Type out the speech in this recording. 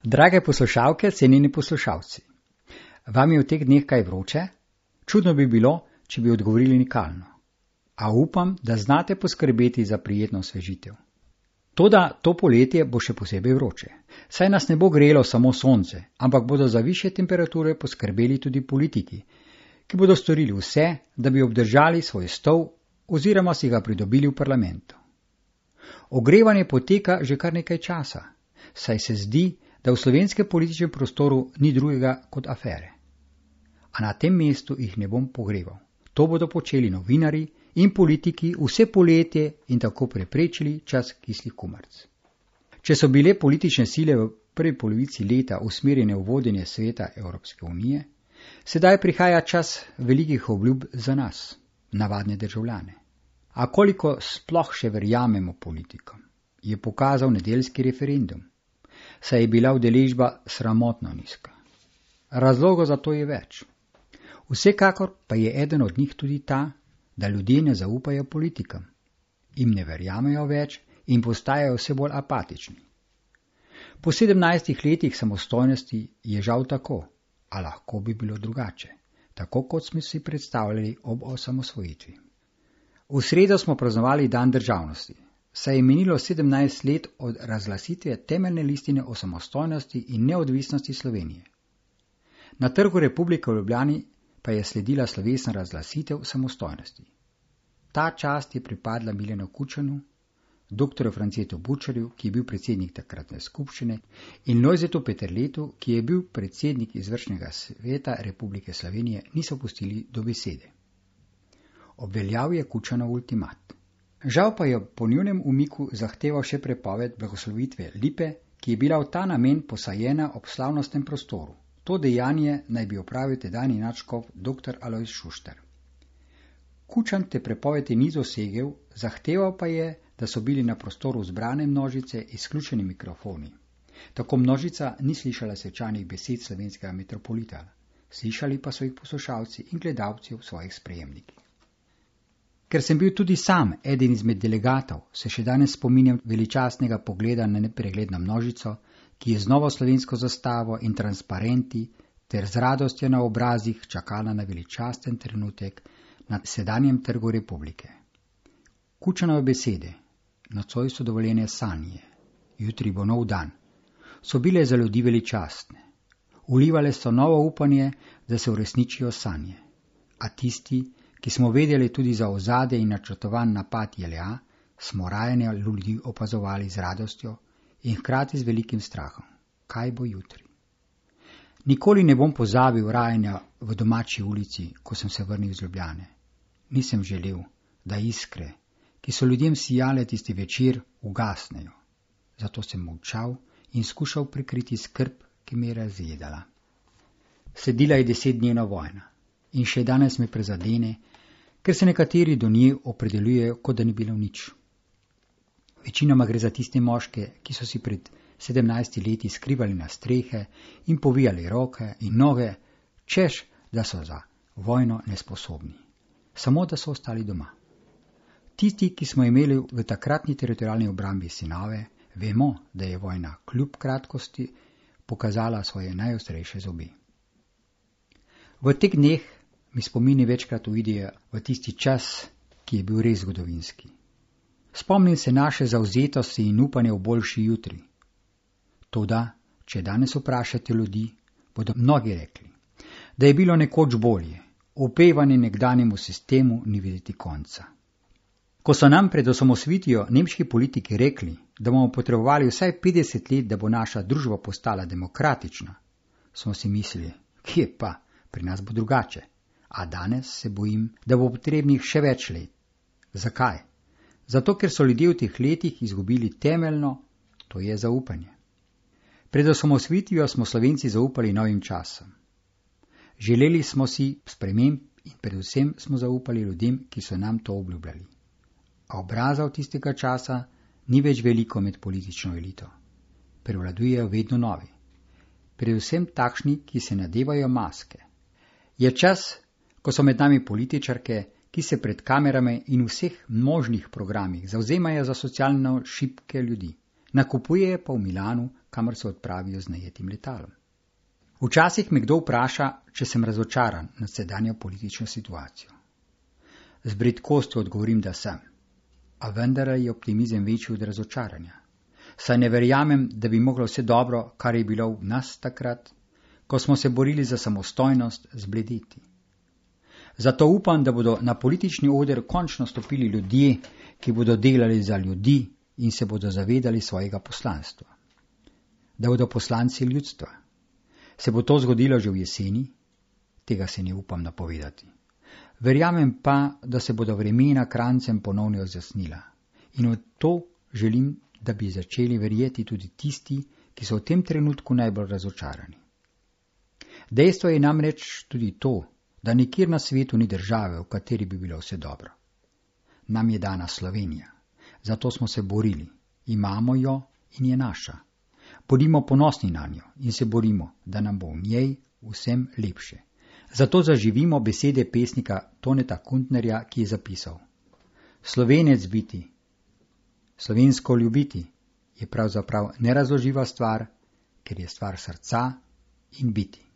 Drage poslušalke, cenjeni poslušalci, vam je v teh dneh kaj vroče? Čudno bi bilo, če bi odgovorili nikalno. A upam, da znate poskrbeti za prijetno osvežitev. Toda to poletje bo še posebej vroče. Saj nas ne bo grelo samo sonce, ampak bodo za višje temperature poskrbeli tudi politiki, ki bodo storili vse, da bi obdržali svoj stol oziroma si ga pridobili v parlamentu. Ogrevanje poteka že kar nekaj časa, saj se zdi, da v slovenskem političnem prostoru ni drugega kot afere. A na tem mestu jih ne bom pogreval. To bodo počeli novinari in politiki vse poletje in tako preprečili čas kislih kumaric. Če so bile politične sile v prvi polovici leta usmerjene v vodenje sveta Evropske unije, sedaj prihaja čas velikih obljub za nas, navadne državljane. A koliko sploh še verjamemo politikom, je pokazal nedeljski referendum, saj je bila udeležba sramotno nizka. Razlogov za to je več. Vsekakor pa je eden od njih tudi ta, da ljudje ne zaupajo politikom, jim ne verjamejo več in postajajo vse bolj apatični. Po 17 letih samostojnosti je žal tako, a lahko bi bilo drugače, tako kot smo si predstavljali ob osamosvojitvi. V sredo smo praznovali dan državnosti, saj je minilo 17 let od razglasitve temeljne listine o samostojnosti in neodvisnosti Slovenije. Na Trgu Republike v Ljubljani pa je sledila slovesna razglasitev samostojnosti. Ta čast je pripadla Milanu Kučanu, dr. Francetu Bučarju, ki je bil predsednik takratne skupščine, in Lojzetu Peterletu, ki je bil predsednik izvršnega sveta Republike Slovenije, niso pustili do besede. Obveljal je Kučanov ultimat. Žal pa je po njunem umiku zahteval še prepoved blagoslovitve lipe, ki je bila v ta namen posajena ob slavnostnem prostoru. To dejanje naj bi opravil tedajni nadškof dr. Alojz Šuštar. Kučan te prepovedi ni dosegel, zahteval pa je, da so bili na prostoru zbrane množice izključeni mikrofoni. Tako množica ni slišala svečanih besed slovenskega metropolita, slišali pa so jih poslušalci in gledalci v svojih sprejemnikih. Ker sem bil tudi sam eden izmed delegatov, se še danes spominjam veličastnega pogleda na nepregledno množico, ki je z novo slovensko zastavo in transparenti ter z radostjo na obrazih čakala na veličasten trenutek na sedanjem Trgu Republike. Kučanove besede, nocoj so dovoljene sanje, jutri bo nov dan, so bile za ljudi veličastne. Vlivale so novo upanje, da se uresničijo sanje. A tisti, ki smo vedeli tudi za ozadje in načrtovan napad JLA, smo rajanje ljudi opazovali z radostjo in hkrati z velikim strahom. Kaj bo jutri? Nikoli ne bom pozabil rajanja v domači ulici, ko sem se vrnil iz Ljubljane. Nisem želel, da iskre, ki so ljudem sijale tisti večer, ugasnejo. Zato sem molčal in skušal prikriti skrb, ki me je razjedala. Sledila je 10-dnevna vojna in še danes me prezadene, ker se nekateri do nje opredeljujejo, kot da ni bilo nič. Večinoma gre za tiste moške, ki so si pred 17 leti skrivali na strehe in povijali roke in noge, češ, da so za vojno nesposobni. Samo, da so ostali doma. Tisti, ki smo imeli v takratni teritorialni obrambi sinove, vemo, da je vojna kljub kratkosti pokazala svoje najostrejše zobe. V teh dneh mi spomini večkrat uidejo v tisti čas, ki je bil res zgodovinski. Spomnim se naše zavzetosti in upanja v boljši jutri. Toda, če danes vprašate ljudi, bodo mnogi rekli, da je bilo nekoč bolje, opevanje nekdanjemu sistemu ni videti konca. Ko so nam pred osamosvojitvijo nemški politiki rekli, da bomo potrebovali vsaj 50 let, da bo naša družba postala demokratična, smo si mislili, kje pa, pri nas bo drugače. A danes se bojim, da bo potrebnih še več let. Zakaj? Zato, ker so ljudje v teh letih izgubili temeljno, to je zaupanje. Pred osamosvojitvijo smo Slovenci zaupali novim časom. Želeli smo si sprememb in predvsem smo zaupali ljudem, ki so nam to obljubljali. A obrazov tistega časa ni več veliko med politično elito. Prevladujejo vedno novi. Predvsem takšni, ki se nadevajo maske. Je čas, ko so med nami političarke, ki se pred kamerami in vseh možnih programih zavzemajo za socialno šibke ljudi, nakupujejo pa v Milanu, kamor se odpravijo z najetim letalom. Včasih me kdo vpraša, če sem razočaran nad sedanjo politično situacijo. Z bridkostjo odgovorim, da sem, a vendar je optimizem večji od razočaranja. Saj ne verjamem, da bi moglo vse dobro, kar je bilo v nas takrat, ko smo se borili za samostojnost, zbledeti. Zato upam, da bodo na politični oder končno stopili ljudje, ki bodo delali za ljudi in se bodo zavedali svojega poslanstva. Da bodo poslanci ljudstva. Se bo to zgodilo že v jeseni? Tega se ne upam napovedati. Verjamem pa, da se bodo vremena krancem ponovno razjasnila. In v to želim, da bi začeli verjeti tudi tisti, ki so v tem trenutku najbolj razočarani. Dejstvo je namreč tudi to, da nikjer na svetu ni države, v kateri bi bilo vse dobro. Nam je dana Slovenija, zato smo se borili, imamo jo in je naša. Bodimo ponosni na njo in se borimo, da nam bo v njej vsem lepše. Zato zaživimo besede pesnika Toneta Kuntnerja, ki je zapisal: Slovenec biti, slovensko ljubiti je pravzaprav nerazloživa stvar, ker je stvar srca in biti.